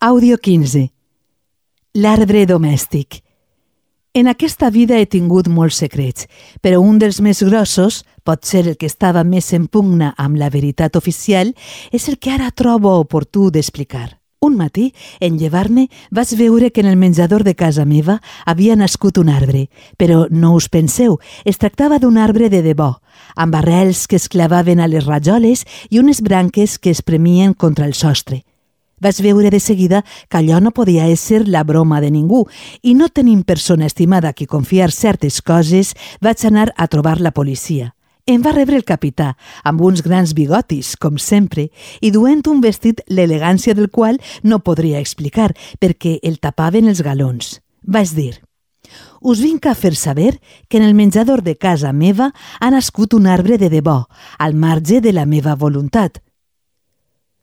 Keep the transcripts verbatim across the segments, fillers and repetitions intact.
Àudio quinze. L'arbre domèstic. En aquesta vida he tingut molts secrets, però un dels més grossos, pot ser el que estava més en pugna amb la veritat oficial, és el que ara trobo oportú d'explicar. Un matí, en llevar-me, vaig veure que en el menjador de casa meva havia nascut un arbre, però no us penseu, es tractava d'un arbre de debò, amb arrels que es clavaven a les rajoles i unes branques que es premien contra el sostre. Vaig veure de seguida que allò no podia ésser la broma de ningú i no tenint persona estimada a qui confiar certes coses, vaig anar a trobar la policia. Em va rebre el capità, amb uns grans bigotis, com sempre, i duent un vestit l'elegància del qual no podria explicar, perquè el tapaven els galons. Vaig dir: «Us vinc a fer saber que en el menjador de casa meva ha nascut un arbre de debò, al marge de la meva voluntat».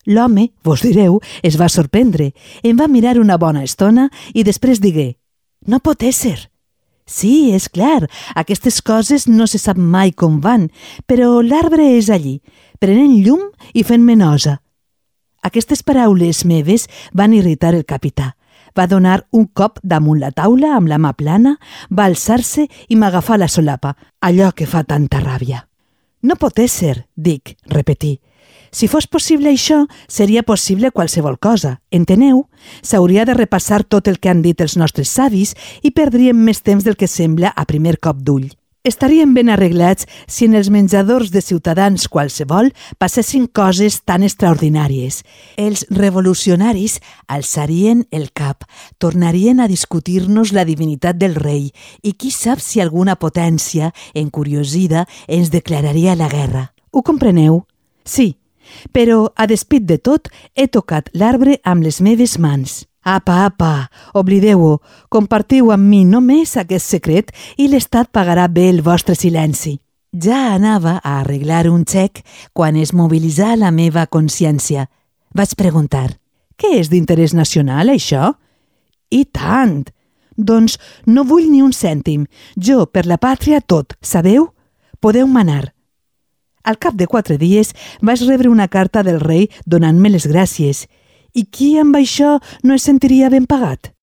L'home, vos direu, es va sorprendre, em va mirar una bona estona i després digué: «No pot ésser». «Sí, és clar, aquestes coses no se sap mai com van, però l'arbre és allí, prenent llum i fent-me nosa». Aquestes paraules meves van irritar el capità. Va donar un cop damunt la taula amb la mà plana, va alçar-se i m'agafà la solapa, allò que fa tanta ràbia. «No pot ésser», dic, repetí. Si fos possible això, seria possible qualsevol cosa, enteneu? S'hauria de repassar tot el que han dit els nostres savis i perdríem més temps del que sembla a primer cop d'ull. Estaríem ben arreglats si en els menjadors de ciutadans qualsevol passessin coses tan extraordinàries. Els revolucionaris alçarien el cap, tornarien a discutir-nos la divinitat del rei i qui sap si alguna potència, encuriosida, ens declararia la guerra. Ho compreneu? Sí. Però, a despit de tot, he tocat l'arbre amb les meves mans. Apa, apa, oblideu-ho, compartiu amb mi només aquest secret i l'Estat pagarà bé el vostre silenci. Ja anava a arreglar un xec quan es mobilitzà la meva consciència. Vaig preguntar: «Què és d'interès nacional, això?» «I tant! Doncs no vull ni un cèntim. Jo, per la pàtria, tot, sabeu? Podeu manar». Al cap de quatre dies vaig rebre una carta del rei donant-me les gràcies. I qui amb això no es sentiria ben pagat?